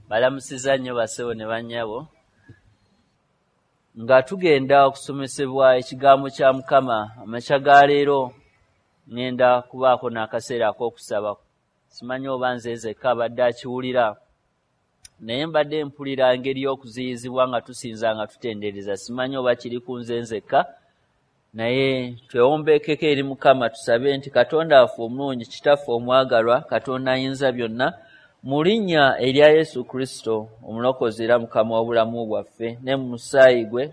Balamusizza nnyo bassebo ne bannyabo. Nga tugenda okusomesebwa ekigambo kya Mukama amakya ga leero, ŋŋenda kubaako n'akaseera ak'okusaba. Simanyi oba nze nzekka abadde akiwulira, naye mbadde mpulira engeri y'okuziyizibwa nga tusinza nga tutendereza. Simanyi oba kiri ku nze nzekka, naye twewombeekeko eri Mukama tusabe nti Katonda waffe omulungi, Kitaffe omwagalwa, Katonda ayinza byonna, mu linnya erya Yesu Kristo omulokozi era Mukama w'obulamu bwaffe, ne mu musaayi gwe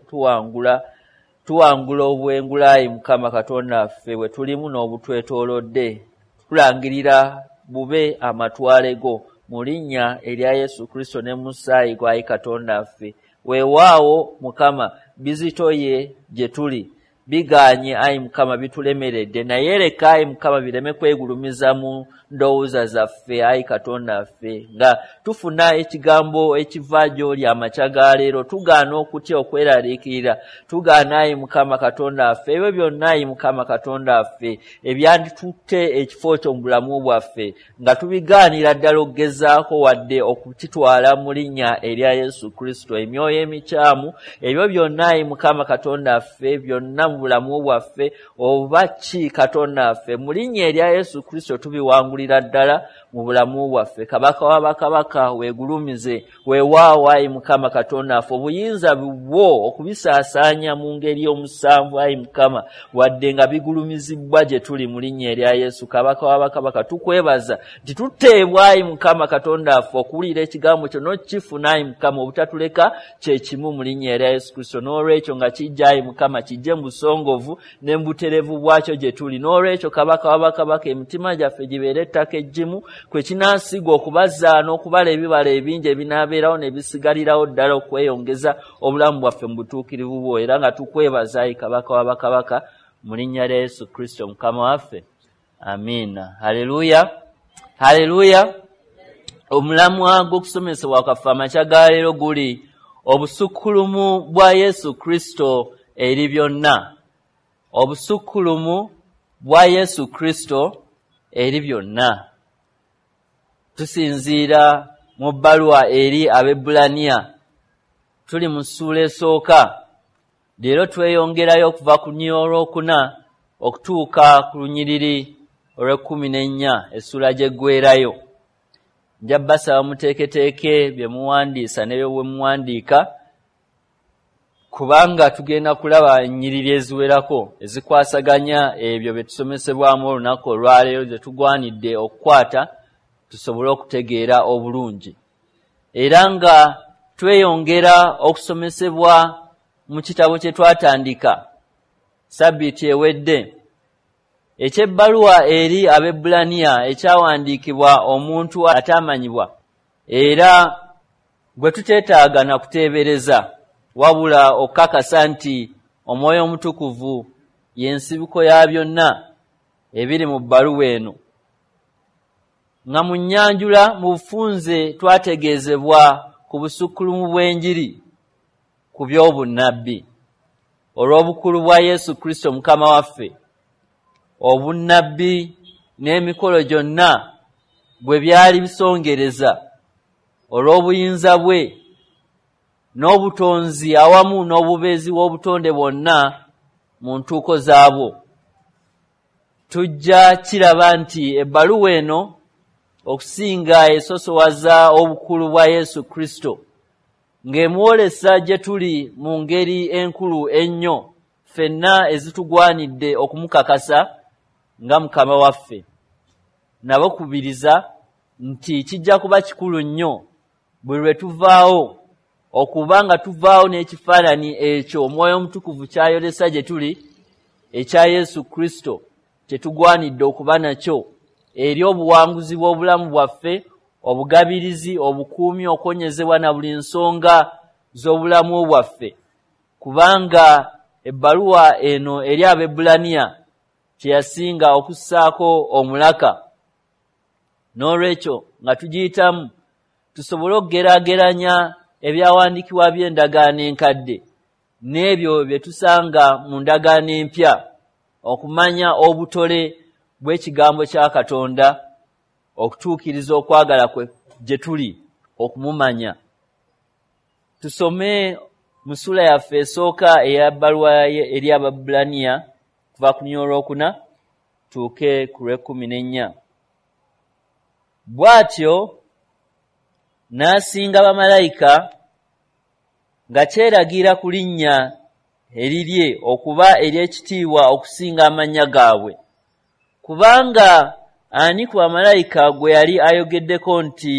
tuwangula obwengulayi Mukama Katonda waffe bwe tulimu n'obutwetoolodde. Tulangirira bube amatwale go mu linnya erya Yesu Kristo ne mu musaayi gwe, ayi Katonda waffe. Weewaawo Mukama, bizitoye gye tuli, bigaanye ayi Mukama, bitulemeredde, naye leka ayi Mukama bireme kwegulumiza mu ndowooza zaffe ayi Katonda waffe. Nga tufuna ekigambo ekiva gy'oli amakya ga leero, tugaana okutya okweraliikirira, tugaana ayi Mukama Katonda waffe ebyo byonna ayi Mukama Katonda waffe ebyanditutte ekifo kyo mu bulamu bwaffe, nga tubigaanira ddala okugezaako wadde okukitwala mu linnya erya Yesu Kristo. Emyoyo emikyamu ebyo byonna ayi Mukama Katonda waffe byonna mu bulamu bwaffe oba ki Katonda waffe, mu linnya erya Yesu Kristo tubiwangulira ddala mu bulamu bwaffe. Kabaka wa bakabaka weegulumize, weewaawo ayi Mukama Katonda waffe obuyinza bwo okubisaasaanya mu ngeri omusanvu ayi Mukama, wadde nga bigulumizibwa gye tuli mu linnya erya Yesu. Kabaka wa bakabaka tukwebaza nti tuteebwa ayi Mukama Katonda waffe okuwulira ekigambo kyo n'okukifuna ayi Mukama, obutatuleka kye kimu mu linnya erya Yesu Kristo. N'olwekyo nga kijja ayi Mukama, kijje mu busongovu ne mu butereevu bwakyo gye tuli. N'olwekyo Kabaka wa bakabaka, emitima gyaffe gibeere ettaka eggimu kwe kinaasigwa okubazza n'okubala ebibala ebingi ebinaabeerawo ne bisigalirawo ddala okweyongeza obulamu bwaffe mu butuukirivu bwo. Era nga tukwebaza ayi Kabaka wa bakabaka mu linnya lya Yesu Kristo Mukama waffe, amiina. Haleluya, haleluya. Omulamwa gw'okusomesebwa kwaffe amakya ga leero guli obusukkulumu bwa Yesu Kristo eri byonna. Obusukkulumu bwa Yesu Kristo eri byonna. Tusinziira mu bbaluwa eri Abaebbulaniya, tuli mu ssuula esooka. Leero tweyongerayo okuva ku lunyiriri olwokuna okutuuka ku lunyiriri olw'ekkumi n'ennya, essuula gy'eggweerayo. Nja basaba muteeketeeke bye muwandiisa ne bye muwandiika, kubanga tugenda kulaba ennyiriri eziwerako ezikwasaganya ebyo bye tusomesebwamu olunaku olwaleero, ze tugwanidde okukwata tusobole okutegeera obulungi. Era nga tweyongera okusomesebwa mu kitabo kye twatandika sabbiiti ewedde, eky'ebbaluwa eri Abaebbulaniya, ekyawandiikibwa omuntu ataamanyibwa era gwe tuteetaaga na kuteebereza, wabula okukakasa nti Omwoyo Omutukuvu y'ensibuko ya byonna ebiri mu bbaluwa eno. Nga mu nnyanjula mu bufunze twategeezebwa ku busukkulumu bw'enjiri ku by'obunnabbi olw'obukulu bwa Yesu Kristo Mukama waffe, obunnabbi n'emikolo gyonna bwe byali bisongereza olw'obuyinza bwe n'obutonzi awamu n'obubeezi bw'obutonde bwonna mu ntuuko zaabwo. Tujja kiraba nti ebbaluwa eno okusinga esosowaza obukulu bwa Yesu Kristo, ng'emwolesa gye tuli mu ngeri enkulu ennyo ffenna ezitugwanidde okumukakasa nga Mukama waffe. Nabakubiriza nti kijja kuba kikulu nnyo buli lwe tuvaawo okuba nga tuvaawo n'ekifaananyi ekyo Omwoyo Omutukuvu ky'ayolesa gye tuli ekya Yesu Kristo, kye tugwanidde okuba nakyo eri obuwanguzi bw'obulamu bwaffe, obugabirizi, obukuumi, okwonyezebwa na buli nsonga z'obulamu bwaffe, kubanga ebbaluwa eno eri Abaebbulaniya kye yasinga okussaako omulaka. N'olwekyo nga tugiyitamu tusobole okugeraageranya ebyawandiikibwa by'endagaano enkadde n'ebyo bye tusanga mu ndagaano empya, okumanya obutole bw'ekigambo kya Katonda okutuukiriza okwagala kwe gye tuli. okumumanya. Tusome mu ssuula yaffe esooka eya bbaluwa eri Abaebbulaniya kuva ku lunyiriri olwokuna tuuke ku lw'ekkumi n'ennya. Bw'atyo n'asinga bamalayika nga kyeragira ku linnya erirye okuba ery'ekitiibwa okusinga amannya gaabwe. Kubanga ani ku bamalayika gwe yali ayogeddeko nti,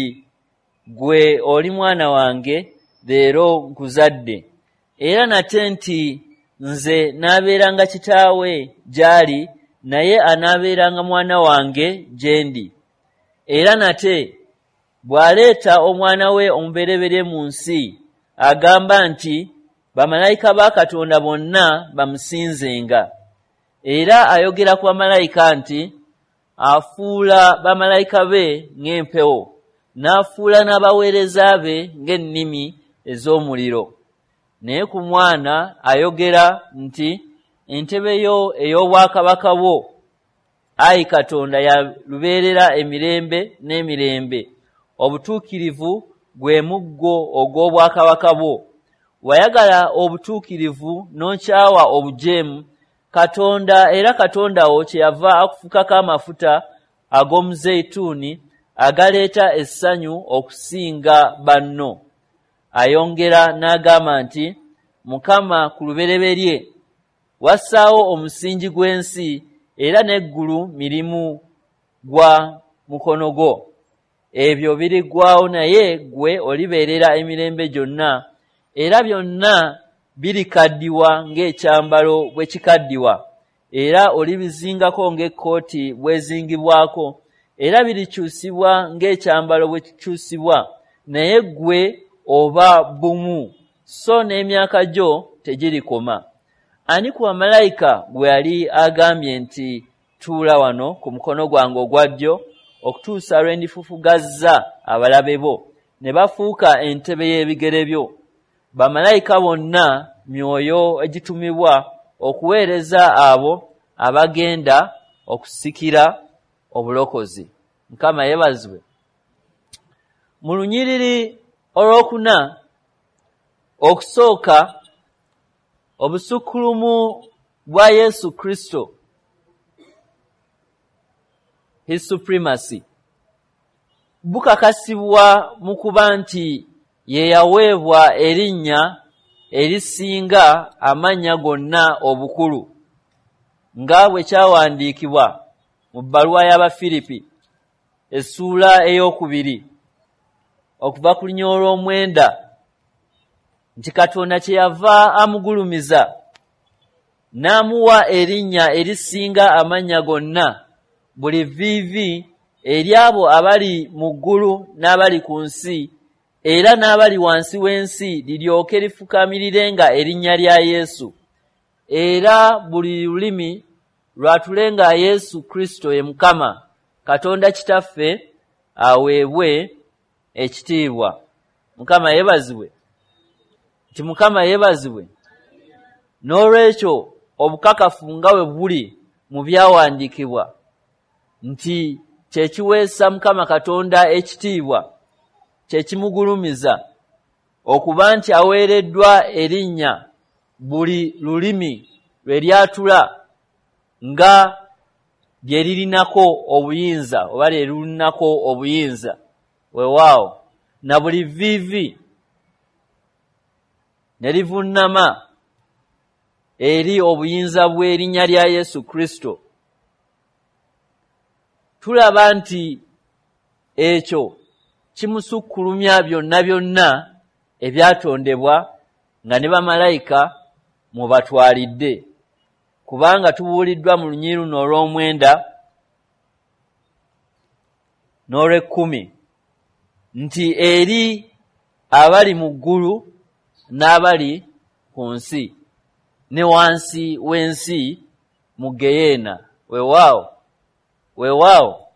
"Ggwe oli mwana wange, leero nkuzadde"? Era nate nti, "Nze naabeeranga kitaawe gy'ali, naye anaabeeranga mwana wange gye ndi." Era nate bw'aleeta omwana we omubereberye mu nsi, agamba nti, "Bamalayika ba Katonda bonna bamusinzenga." Era ayogera ku bamalayika nti, "Afuula bamalayika be ng'empewo, n'afuula n'abaweereza be ng'ennimi ez'omuliro." Naye ku mwana ayogera nti, "Entebe yo ey'obwakabaka bwo, ayi Katonda, ya lubeerera emirembe n'emirembe. Obutuukirivu gwe muggo ogw'obwakabaka bwo. Wayagala obutuukirivu n'okyawa obujeemu. Katonda era Katonda wo kyeyava akufukako amafuta ag'omuzeyituuni agaleeta essanyu okusinga banno." Ayongera n'agamba nti, "Mukama, ku lubereberye wassaawo omusingi gw'ensi, era n'eggulu mirimu gwa mukono gwo. Ebyo biriggwaawo, naye ggwe olibeerera emirembe gyonna, era byonna birikaddiwa ng'ekyambalo bwe kikaddiwa, era olibizingako ng'ekkooti bw'ezingibwako, era birikyusibwa ng'ekyambalo bwe kikyusibwa, naye ggwe oba bumu, so n'emyaka gyo tegirikoma." Ani ku bamalayika gwe yali agambye nti, "Tuula wano ku mukono gwange ogwa ddyo okutuusa lwe ndifufugazza abalabe bo ne bafuuka entebe y'ebigere byo"? Bamalayika bonna myoyo egitumibwa okuweereza abo abagenda okusikira obulokozi. Mukama yeebazibwe. Mu lunyiriri olwokuna, okusooka, obusukkulumu bwa Yesu Kristo, his supremacy, bukakasibwa mu kuba nti ye yaweebwa erinnya erisinga amannya gonna obukulu, nga bwe kyawandiikibwa mu bbaluwa y'Abafiripi essuula 2 okuva ku lunyiriri olw'omwenda, nti Katonda kyeyava amugulumiza n'amuwa erinnya erisinga amannya gonna, buli vviivi ery'abo abali mu ggulu n'abali ku nsi era n'abali wansi w'ensi liryoke lifukamirirenga erinnya lya Yesu, era buli lulimi lwatulenga Yesu Kristo ye Mukama, Katonda Kitaffe aweebwe ekitiibwa. Mukama yeebazibwe. Nti Mukama yeebazibwe. N'olwekyo obukakafu nga bwe buli mu byawandiikibwa nti kye kiweesa Mukama Katonda ekitiibwa, kye kimugulumiza okuba nti aweereddwa erinnya buli lulimi lwe lyatula nga lye lirinako obuyinza oba lye lulinako obuyinza, weewaawo, na buli vviivi ne livunnama eri obuyinza bw'erinnya lya Yesu Kristo. Tulaba nti ekyo kimusukkulumya byonna byonna ebyatondebwa, nga ne bamalayika mwebatwalidde, kubanga tubuuliddwa mu lunyiriri luno olw'omwenda n'olw'ekkumi nti eri abali mu ggulu n'abali ku nsi ne wansi w'ensi mu ggeyeena. Weewaawo, weewaawo.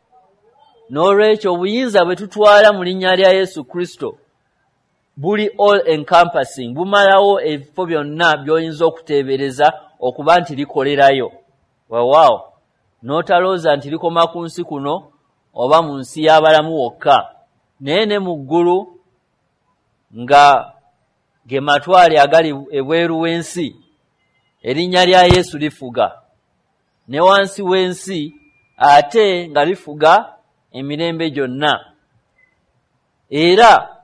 N'olwekyo obuyinza bwe tutwala mu linnya lya Yesu Kristo buli all encompassing, bumalawo ebifo byonna by'oyinza okuteebereza okuba nti likolerayo. Weewaawo, n'otalowooza nti likoma ku nsi kuno oba mu nsi y'abalamu wokka, naye ne mu ggulu nga ge matwale agali ebweru w'ensi, erinnya lya Yesu lifuga, ne wansi w'ensi ate nga lifuga emirembe gyonna. Era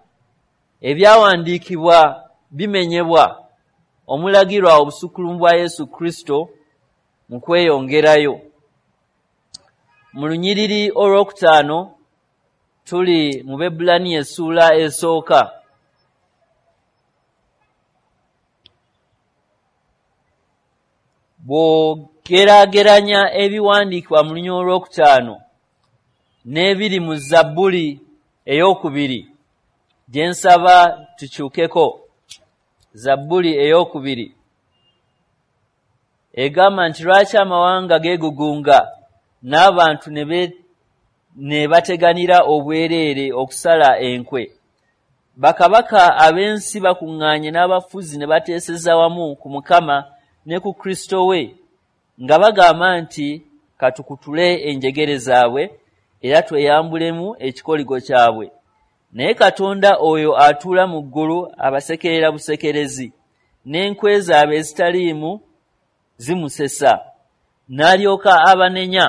ebyawandiikibwa bimenyebwa omulagirwa obusukkulumu bwa Yesu Kristo mu kweyongerayo. Mu lunyiriri olwokutaano tuli mu Baebbulaniya essuula esooka. Bw'ogeraageranya ebiwandiikibwa mu lunyiriri olwokutaano n'ebiri mu Zabbuli ey'okubiri, gye nsaba tukyukeko. Zabbuli ey'okubiri egamba nti lwaki amawanga geegugunga n'abantu ne bateganira obwereere okusala enkwe? Bakabaka ab'ensi bakuŋŋaanye n'abafuzi ne bateeseza wamu ku Mukama ne ku Kristo we, nga bagamba nti katukutule enjegere zaabwe era tweyambulemu ekikoligo kyabwe. Naye Katonda oyo atuula mu ggulu abasekerera busekerezi, n'enkwe zaabwe ezitaliimu zimusesa. N'alyoka abanenya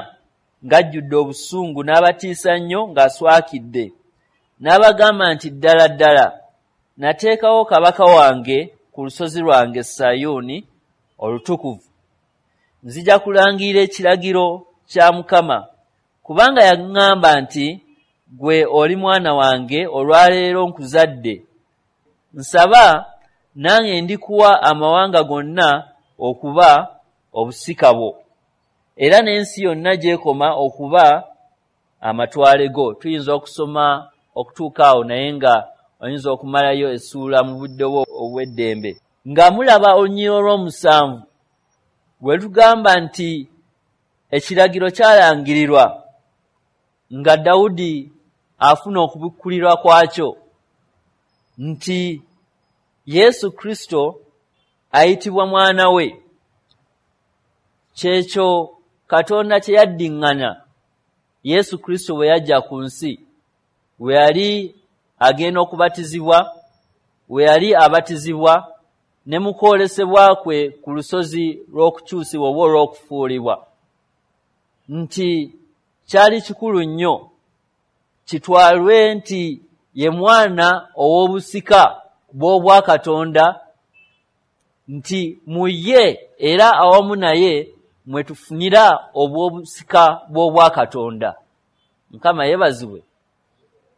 ng'ajjudde obusungu, n'abatiisa nnyo ng'aswakidde. N'abagamba nti ddala ddala nateekawo kabaka wange ku lusozi lwange Sayuuni olutukuvu. Nzija kulangirira ekiragiro kya Mukama, kubanga yaŋŋamba nti ggwe oli mwana wange, olwaleero nkuzadde. Nsaba nange ndikuwa amawanga gonna okuba obusika bwo, era n'ensi yonna gy'ekoma okuba amatwale go. Tuyinza okusoma okutuuka awo, naye nga oyinza okumalayo essuula mu budde bwo obw'eddembe. Nga mulaba olunyiriri olw'omusanvu bwe lutugamba nti ekiragiro kyalangirirwa nga Dawudi afuna okubikkulirwa kwakyo, nti Yesu Kristo ayitibwa mwana we. Kyekyo Katonda kye yaddiŋŋana Yesu Kristo bwe yajja ku nsi, we yali agenda okubatizibwa, we yali abatizibwa, ne mu kwolesebwa kwe ku lusozi lw'okukyusibwa oba olw'okufuulibwa, nti kyali kikulu nnyo kitwalwe nti ye mwana ow'obusika bw'obwakatonda, nti mu ye era awamu naye mwe tufunira obw'obusika bw'obwakatonda. Mukama yeebazibwe.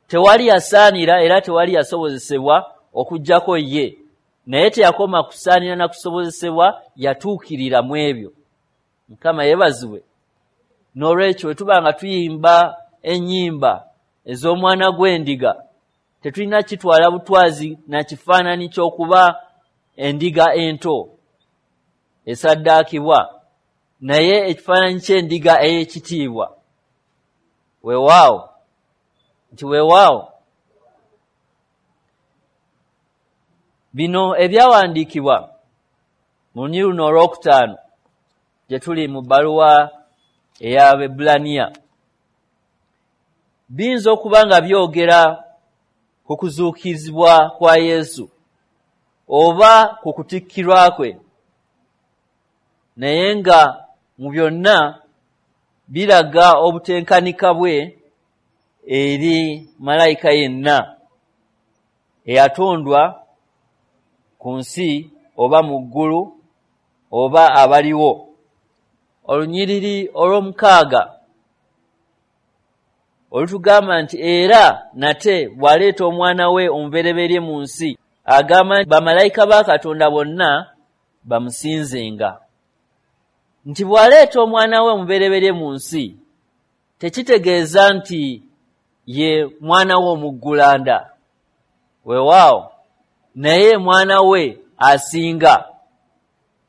Tewali yasaanira era tewali yasobozesebwa okuggyako ye, naye teyakoma kusaanira na kusobozesebwa, yatuukirira mu ebyo. Mukama yeebazibwe. N'olwekyo bwe tuba nga tuyimba ennyimba ez'omwana gw'endiga, tetulina kitwala butwazi na kifaananyi ky'okuba endiga ento esaddaakibwa, naye ekifaananyi ky'endiga ey'ekitiibwa. Weewaawo nti weewaawo. Bino ebyawandiikibwa mu lunyiriri luno olwokutaano gye tuli mu bbaluwa ey'Abaebbulaniya biyinza okuba nga byogera ku kuzuukizibwa kwa Yesu oba ku kutikkirwa kwe, naye nga mu byonna biraga obutenkanika bwe eri malayika yenna eyatondwa ku nsi oba mu ggulu oba abaliwo. Olunyiriri olw'omukaaga olutugamba nti era nate bw'aleeta omwana we omubereberye mu nsi, agamba nti bamalayika ba Katonda bonna bamusinzenga. Nti bw'aleeta omwana we omubereberye mu nsi, tekitegeeza nti ye mwana we omuggulanda, weewaawo, naye mwana we asinga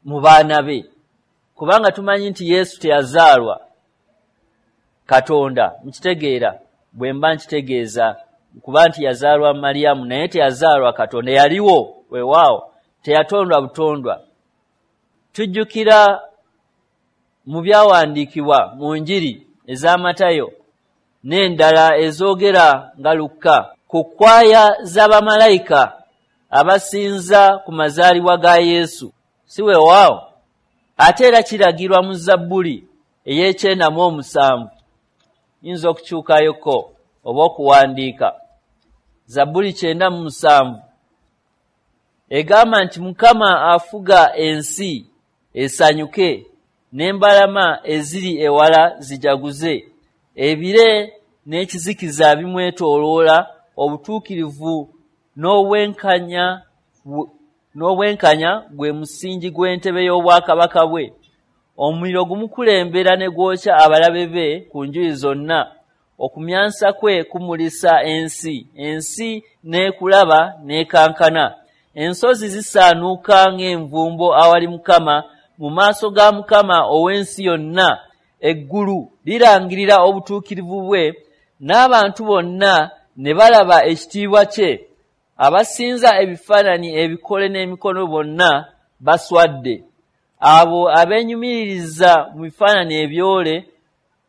mu baana be, kubanga tumanyi nti Yesu teyazaalwa Katonda. Mukitegeera bwe mba nkitegeeza, kuba nti yazaalwa Mariyamu, naye teyazaalwa Katonda, yaliwo, weewaawo, teyatondwa butondwa. Tujjukira mu byawandiikibwa mu Njiri eza Matayo n'endala ezoogera nga Lukka ku kkwaya z'abamalayika abasinza ku mazaalibwa ga Yesu. Si weewaawo? Ate era kiragirwa mu Zabbuli ey'e97, yinza okukyukayoko oba okuwandiika. Zabbuli 97 egamba nti Mukama afuga ensi esanyuke, n'embalama eziri ewala zijaguze. Ebire n'ekizikiza bimwetooloola, obutuukirivu n'obwenkanya gwe musingi gw'entebe y'obwakabaka bwe. Omuliro gumukulembera ne gwokya abalabe be ku njuyi zonna. Okumyansa kwe kumulisa ensi, ensi n'ekulaba n'ekankana. Ensozi zisaanuuka ng'envumbo awali Mukama, mu maaso ga Mukama ow'ensi yonna. Eggulu lirangirira obutuukirivu bwe, n'abantu bonna ne balaba ekitiibwa kye. Abasinza ebifaananyi ebikole n'emikono bonna baswadde. Abo abeenyumiririza mu bifaananyi ebyole,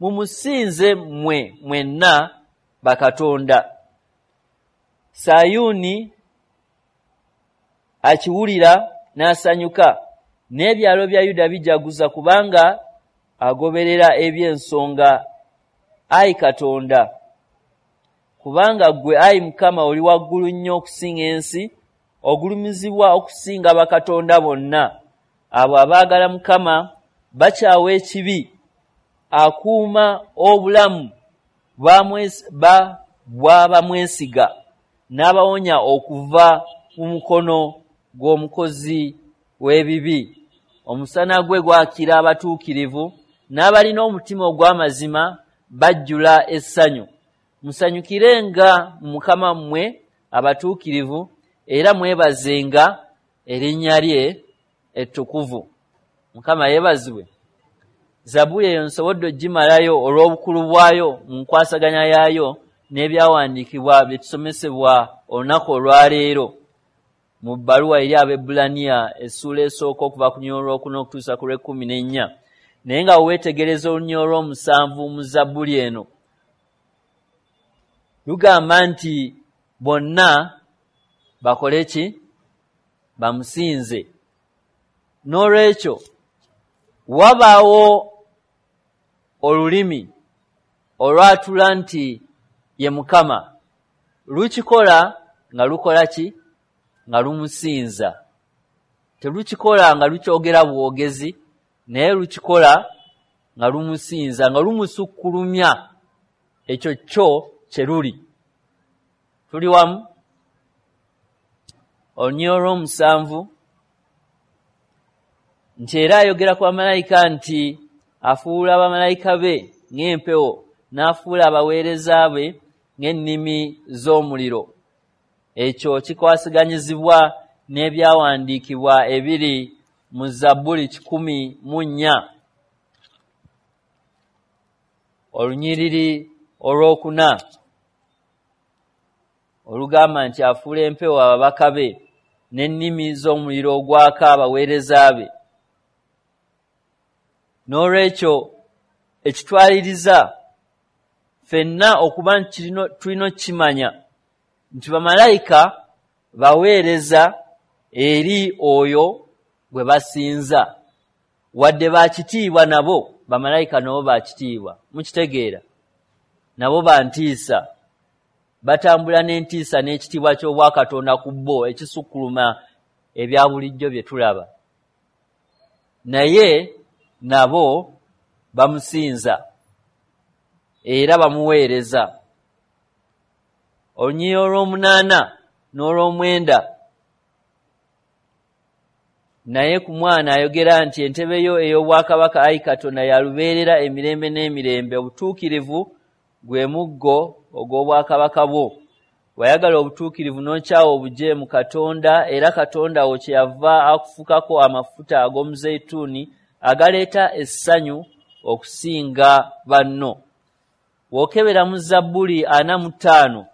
mumusinze mmwe mwenna bakatonda. Sayuuni akiwulira n'asanyuka, n'ebyalo bya Yuda bijaguza kubanga agoberera eby'ensonga, ayi Katonda. Kubanga ggwe ayi Mukama oli waggulu nnyo okusinga ensi, ogulumizibwa okusinga bakatonda bonna. Abo abaagala Mukama bakyawa ekibi, akuuma obulamu bw'abamwesiga, n'abawonya okuva mu mukono gw'omukozi w'ebibi. Omusana gwe gwakira abatuukirivu, n'abalina omutima ogw'amazima bajjula essanyu. Musanyukirenga mu Mukama mmwe abatuukirivu, era mwebazenga erinnya lye ettukuvu. Mukama yeebazibwe. Zabbuli eyo nsobodde okugimalayo olw'obukulu bwayo mu nkwasaganya yaayo n'ebyawandiikibwa bye tusomesebwa olunaku olwaleero mu bbaluwa eri Abaebbulaniya essuula esooka okuva ku lunyiriri olwokuna okutuusa ku lw'ekkumi n'ennya. Naye nga weetegereza olunyiriri olw'omusanvu mu Zabbuli eno, lugamba nti bonna bakole ki? Bamusinze. N'olwekyo wabaawo olulimi olwatula nti ye Mukama, lukikola nga lukola ki? Nga lumusinza. Telukikola nga lukyogera bwogezi, naye lukikola nga lumusinza, nga lumusukkulumya ekyo kyo kye luli. Tuli wamu? Olunyiriri olw'omusanvu nti era ayogera ku bamalayika nti afuula bamalayika be ng'empewo, n'afuula abaweereza be ng'ennimi z'omuliro. Ekyo kikwasaganyizibwa n'ebyawandiikibwa ebiri mu Zabbuli 104, olunyiriri olwokuna, olugamba nti afuula empewo ababaka be, n'ennimi z'omuliro ogwaka abaweereza be. N'olwekyo ekitwaliriza ffenna okuba nti tulina okukimanya nti bamalayika baweereza eri oyo gwe basinza. Wadde bakitiibwa, nabo bamalayika nabo bakitiibwa, mukitegeera, nabo bantiisa, batambula n'entiisa n'ekitiibwa ky'obwakatonda ku bo ekisukkuluma ebya bulijjo bye tulaba, naye nabo bamusinza era bamuweereza. Olunyiriri olw'omunaana n'olw'omwenda: naye ku Mwana ayogera nti, "Entebe yo ey'obwakabaka, ayi Katonda, ya lubeerera emirembe n'emirembe, obutuukirivu gwe muggo ogw'obwakabaka bwo. Wayagala obutuukirivu n'okyawa obujeemu, Katonda era Katonda wo kyeyava akufukako amafuta ag'omuzeyituuni agaleeta essanyu okusinga banno." W'okebera mu Zabbuli 45,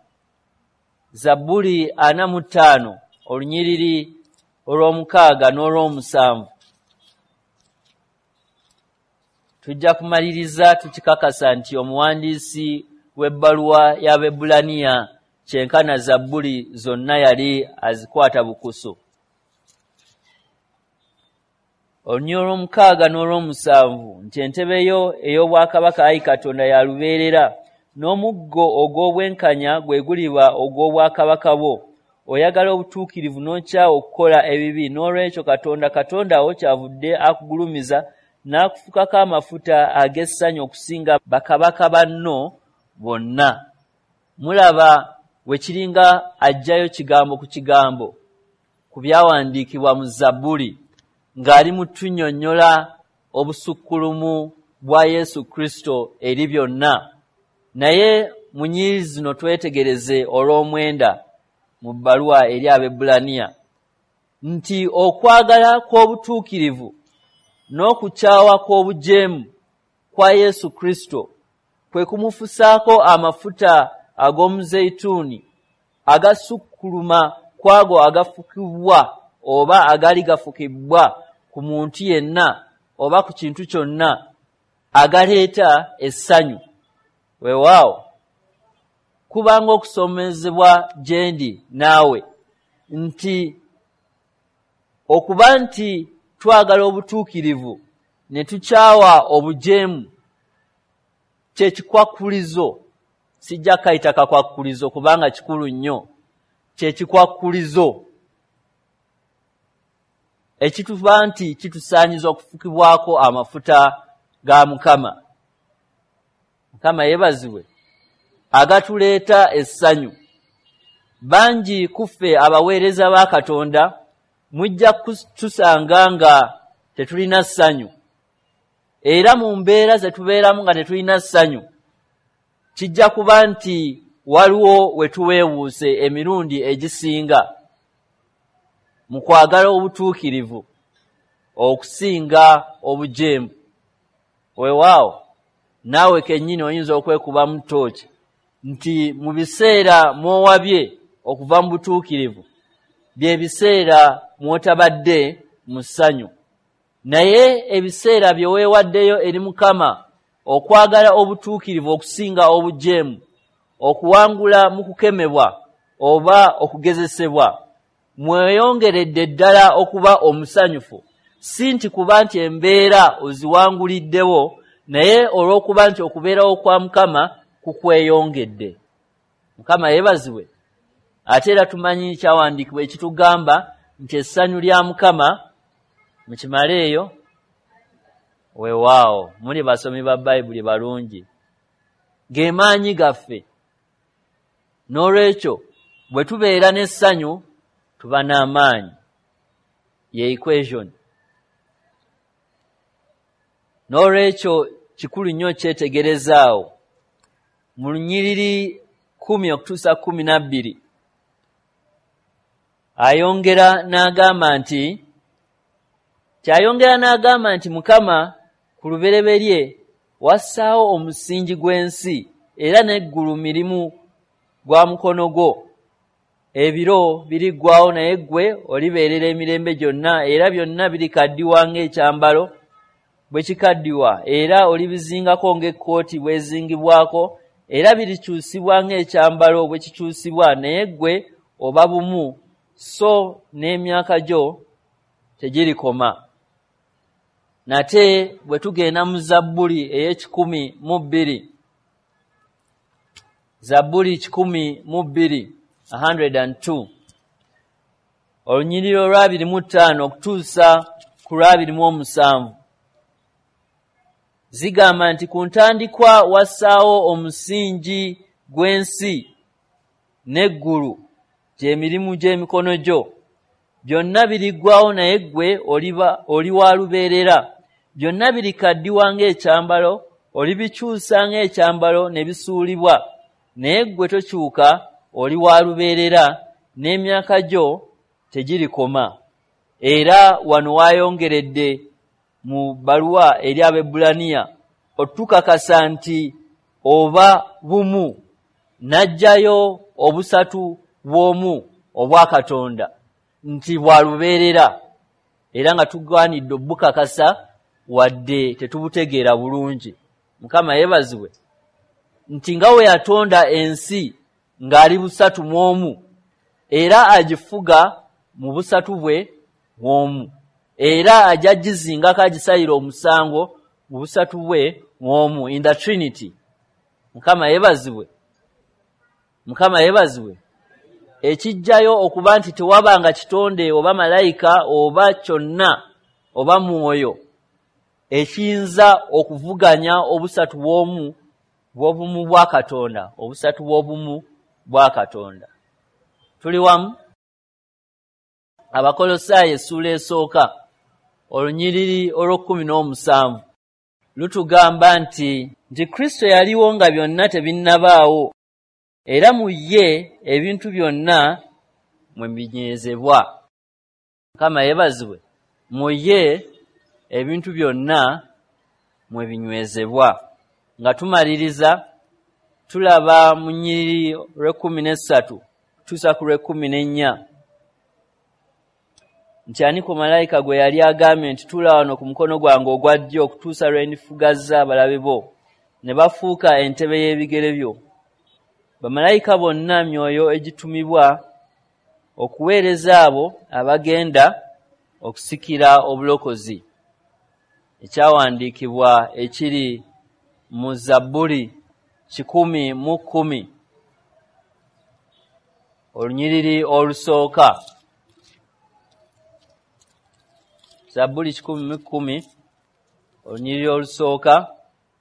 Zabbuli 45, olunyiriri olw'omukaaga n'olw'omusanvu, tujja kumaliriza tukikakasa nti omuwandiisi w'ebbaluwa y'Abaebbulaniya Kyenkana Zabbuli zonna yali azikwata bukusu. Olunyiriri olw'omukaaga n'olw'omusanvu nti entebe yo ey'obwakabaka, ayi Katonda, ya lubeerera, n'omuggo ogw'obwenkanya gwe guliba ogw'obwakabaka bwo. Oyagala obutuukirivu n'okyawa okukola ebibi, n'olwekyo Katonda, Katonda wo kyavudde akugulumiza n'akufukako amafuta ag'essanyu okusinga bakabaka banno bonna. Mulaba we kiringa aggyayo kigambo ku kigambo ku byawandiikibwa mu Zabbuli ng'ali mu tunnyonnyola obusukkulumu bwa Yesu Kristo eri byonna. Naye mu nnyiriri zino twetegereze olw'omwenda mu bbaluwa eri Abaebbulaniya nti okwagala kw'obutuukirivu n'okukyawa kw'obujeemu kwa Yesu Kristo kwe kumufusaako amafuta ag'omuzeyituuni agasukkuluma kw'ago agafukibwa oba agaali gafukibwa ku muntu yenna oba ku kintu kyonna, agaleeta essanyu. Weewaawo, kubanga okusomezebwa gye ndi naawe nti okuba nti twagala obutuukirivu ne tukyawa obujeemu kye kikwakkulizo. Sijja kukayita kakwakkulizo kubanga kikulu nnyo. Kye kikwakkulizo ekituba nti kitusaanyiza okufukibwako amafuta ga Mukama. Mukama yeebazibwe, agatuleeta essanyu. Bangi ku ffe abaweereza ba Katonda mujja kutusanga nga tetulina ssanyu, era mu mbeera ze tubeeramu nga tetulina ssanyu, kijja kuba nti waliwo we tuweewuuse emirundi egisinga mu kwagala obutuukirivu okusinga obujeemu. Weewaawo, naawe kennyini oyinza okwekubamu ttooki nti mu biseera mw'owabye okuva mu butuukirivu bye biseera mw'otabadde mu ssanyu. Naye ebiseera bye weewaddeyo eri Mukama okwagala obutuukirivu okusinga obujeemu, okuwangula mu kukemebwa oba okugezesebwa, mweyongeredde ddala okuba omusanyufu, si nti kuba nti embeera oziwanguliddewo, naye olw'okuba nti okubeerawo kwa Mukama kukweyongedde. Mukama yeebazibwe. Ate era tumanyi kyawandiikibwa ekitugamba nti essanyu lya Mukama mukimaleeyo. Weewaawo, muli basomi ba Bayibuli balungi. Ge maanyi gaffe. N'olwekyo bwe tubeera n'essanyu tuba n'amaanyi. Ye equation. N'olwekyo kikulu nnyo okyetegereza awo. Mu lunyiriri 10 okutuusa 12 ayongera n'agamba nti kyayongera n'agamba nti Mukama ku lubereberye wassaawo omusingi gw'ensi, era n'eggulu mirimu gwa mukono gwo. Ebiro biriggwaawo, naye ggwe olibeerera emirembe gyonna, era byonna birikaddiwa ng'ekyambalo bwe kikaddiwa, era olibizingako ng'ekkooti bw'ezingibwako, era birikyusibwa ng'ekyambalo bwe kikyusibwa, naye ggwe oba bumu, so n'emyaka gyo tegirikoma. Nate bwe tugenda mu Zabbuli ey'e102, Zabbuli 102, 102, olunyiriri olwa25 okutuusa ku lwa27, zigamba nti ku ntandikwa wassaawo omusingi gw'ensi n'eggulu gy'emirimu gy'emikono gyo. Byonna biriggwaawo, naye ggwe oli wa lubeerera. Byonna birikaddiwa ng'ekyambalo, olibikyusa ng'ekyambalo ne bisuulibwa, naye ggwe tokyuka, oli wa lubeerera, n'emyaka gyo tegirikoma. Era wano waayongeredde mu bbaluwa eri Abaebbulaniya otukakasa nti oba bumu, n'aggyayo obusatu bw'omu obwa Katonda nti bwa lubeerera, era nga tugwanidde obukakasa wadde tetubutegeera bulungi. Mukama yeebazibwe nti nga we yatonda ensi ng'ali busatu mu omu, era agifuga mu busatu bwe bw'omu, era ajja gizingako agisalira omusango mu busatu bwe bw'omu, in the Trinity. Mukama yeebazibwe. Mukama yeebazibwe. Ekijjayo okuba nti tewabanga kitonde oba malayika oba kyonna oba mwoyo ekiyinza okuvuganya obusatu bw'omu bw'obumu bwa Katonda, obusatu bw'obumu bwa Katonda. Tuli wamu? Abakolosaayo essuula esooka olunyiriri olw'o-17 lutugamba nti Kristo yaliwo nga byonna tebinnabaawo, era mu ye ebintu byonna mwe binywezebwa. Mukama yeebazibwe. Mu ye ebintu byonna mwe binywezebwa. Nga tumaliriza tulaba mu nnyiriri lw'e-13 kutuusa ku lw'e-14 nti ani ku malayika gwe yali agambye nti tuula wano ku mukono gwange ogwa ddyo okutuusa lwe ndifugazza abalabe bo ne bafuuka entebe y'ebigere byo. Bamalayika bonna myoyo egitumibwa okuweereza abo abagenda okusikira obulokozi. Ekyawandiikibwa ekiri mu Zabbuli 110 olunyiriri olusooka. Zabbuli 110 olunyiriri olusooka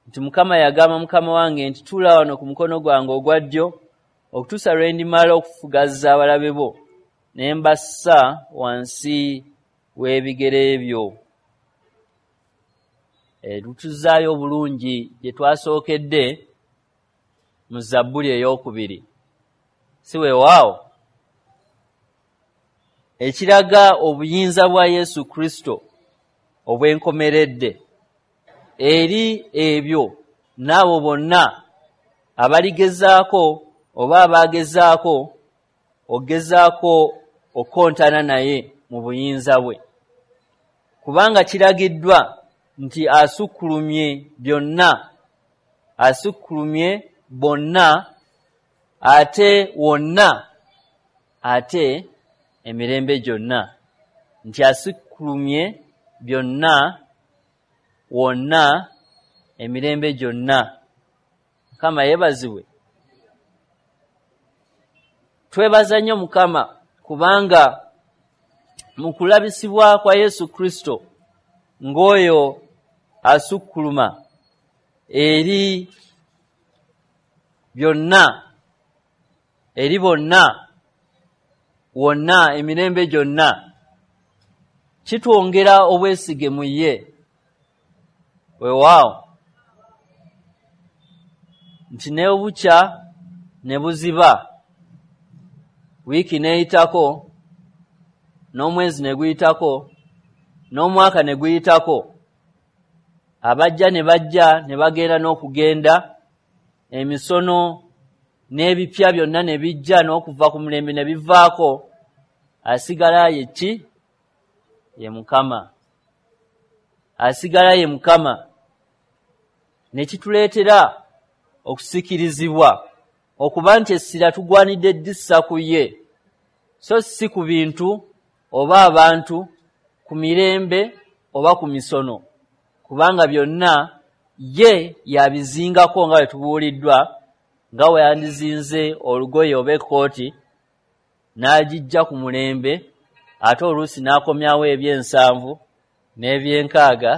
nti Mukama yagamba Mukama wange nti tuula wano ku mukono gwange ogwa ddyo okutuusa lwe ndimala okufugazza abalabe bo ne mbassa wansi w'ebigere byo. Tutuzaayo obulungi gye twasookedde mu Zabbuli 2. Si weewaawo? Ekiraga obuyinza bwa Yesu Kristo obw'enkomeredde eri ebyo n'abo bonna abaligezaako oba abaagezaako okugezaako okukontana naye mu buyinza bwe, kubanga kiragiddwa nti asukkulumye byonna, asukkulumye bonna, ate wonna, ate emirembe gyonna. Nti asukkulumye byonna, wonna, emirembe gyonna. Mukama yeebazibwe. Twebaza nnyo Mukama kubanga mu kulabisibwa kwa Yesu Kristo ng'oyo asukkuluma eri byonna, eri bonna, wonna, emirembe gyonna, kitwongera obwesige mu ye. Weewaawo nti ne bukya ne buziba, wiiki n'eyitako, n'omwezi ne guyitako, n'omwaka ne guyitako, abajja ne bajja ne bagenda n'okugenda, emisono n'ebipya byonna ne bijja n'okuva ku mulembe ne bivaako, asigala ye ki? Ye Mukama. Asigala ye Mukama. Ne kituleetera okusikirizibwa okuba nti essira tugwanidde ddissa ku ye, so si ku bintu oba abantu, ku mirembe oba ku misono, kubanga byonna ye yabizingako nga bwe tubuuliddwa, nga bwe yandizinze olugoye oba ekkooti n'agijja ku mulembe, ate oluusi n'akomyawo eby'ensanvu n'ebyenkaaga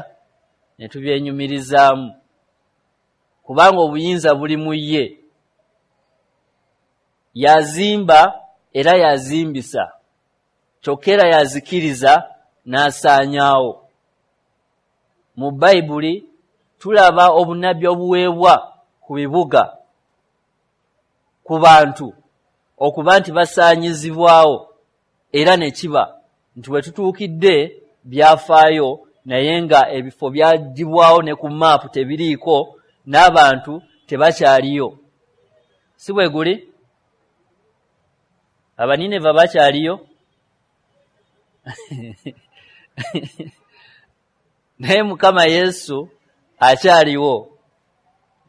ne tubyenyumirizaamu, kubanga obuyinza buli mu ye. Yazimba era yazimbisa, kyokka era yazikiriza n'asaanyaawo. Mu Bayibuli tulaba obunnabbi obuweebwa ku bibuga, ku bantu okuba nti basaanyizibwawo, era ne kiba nti we tutuukidde byafaayo, naye nga ebifo byaggyibwawo ne ku maapu tebiriiko, n'abantu tebakyaliyo. Si bwe guli? Abanineva bakyaliyo? Naye Mukama Yesu akyaliwo.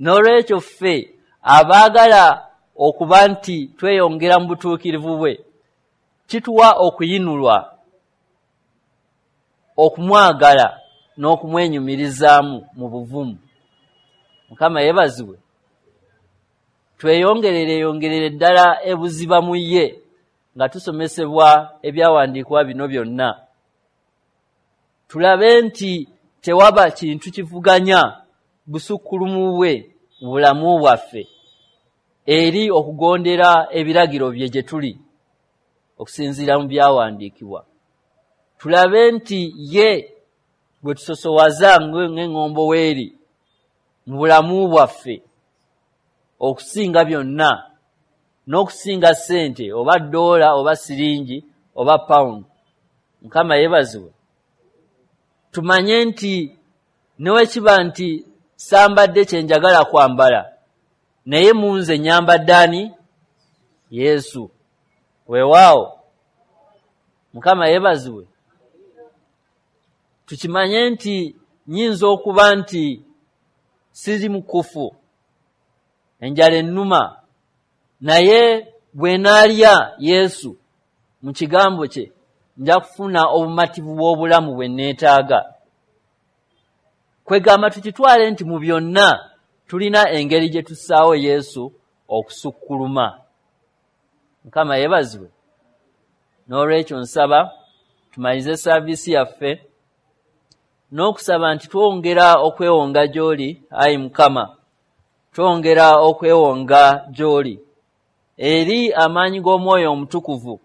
N'olwekyo ffe abaagala okuba nti tweyongera mu butuukirivu bwe, kituwa okuyinulwa, okumwagala n'okumwenyumirizaamu mu buvumu. Mukama yeebazibwe. Tweyongerere ddala ebuziba mu ye nga tusomesebwa ebyawandiikibwa bino byonna. Tulabe nti tewaba kintu kivuganya busukkulumu bwe mu bulamu bwaffe eri okugondera ebiragiro bye gye tuli okusinziira mu byawandiikibwa. Tulabe nti ye gwe tusosowaza ng'eŋŋombo weeri mu bulamu bwaffe okusinga byonna, n'okusinga ssente oba ddoola oba siringi oba pawundi. Mukama yeebazibwe. Tumanye nti ne bwe kiba nti sambadde kye njagala kwambala, naye mu nze nnyambadde ani? Yesu. Weewaawo. Mukama yeebazibwe. Tukimanye nti nnyinza okuba nti siri mukufu, enjala ennuma, naye bwe naalya Yesu mu kigambo kye nja kufuna obumativu bw'obulamu bwe neetaaga. Kwegamba tukitwale nti mu byonna tulina engeri gye tussaawo Yesu okusukkuluma. Mukama yeebazibwe. N'olwekyo nsaba tumalirize saaviisi yaffe n'okusaba nti twongera okwewonga gy'oli, ayi Mukama, twongera okwewonga gy'oli eri amaanyi g'Omwoyo Omutukuvu,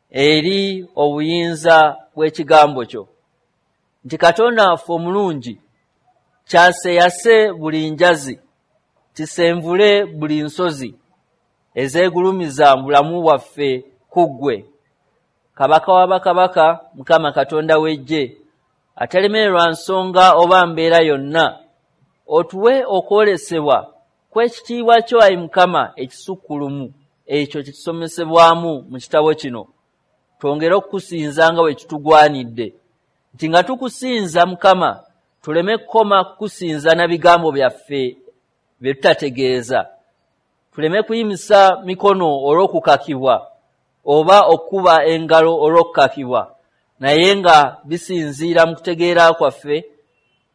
eri obuyinza bw'ekigambo kyo, nti Katonda waffe omulungi kyaseyase buli njazi, kisenvule buli nsozi ezeegulumiza mu bulamu bwaffe ku ggwe, Kabaka wa bakabaka, Mukama Katonda w'eggye, atalemererwa nsonga oba mbeera yonna, otuwe okwolesebwa kw'ekitiibwa kyo, ayi Mukama, ekisukkulumu ekyo kye tusomesebwamu mu kitabo kino. Twongere okukusinza nga bwe kitugwanidde, nti nga tukusinza Mukama tuleme kukoma kukusinza na bigambo byaffe bye tutategeeza, tuleme kuyimisa mikono olw'okukakibwa oba okukuba engalo olw'okukakibwa, naye nga bisinziira mu kutegeera kwaffe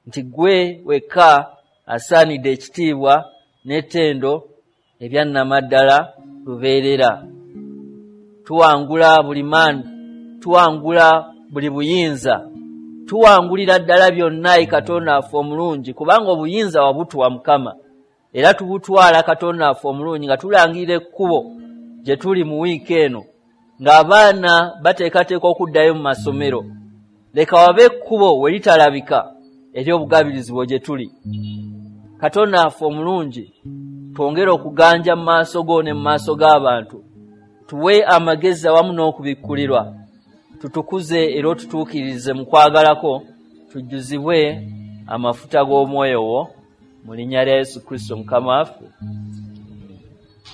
nti ggwe wekka asaanidde ekitiibwa n'ettendo ebyannamaddala lubeerera. Tuwangula buli maanyi, tuwangula buli buyinza, tuwangulira ddala byonna, ayi Katonda waffe omulungi, kubanga obuyinza wabutuwa Mukama, era tubutwala Katonda waffe omulungi nga tulangirira ekkubo gye tuli mu wiiki eno, ng'abaana bateekateeka okuddayo mu masomero. Leka wabe ekkubo we litalabika ery'obugabirizi bwo gye tuli. Katonda waffe omulungi, twongere okuganja mu maaso go ne mu maaso g'abantu, tuwe amagezi awamu n'okubikkulirwa, tutukuze era otutuukirize mu kwagalako, tujjuzibwe amafuta g'omwoyo wo, mu linnya lya Yesu Kristo Mukama waffe.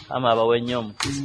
Mukama abawe nnyo omukisa.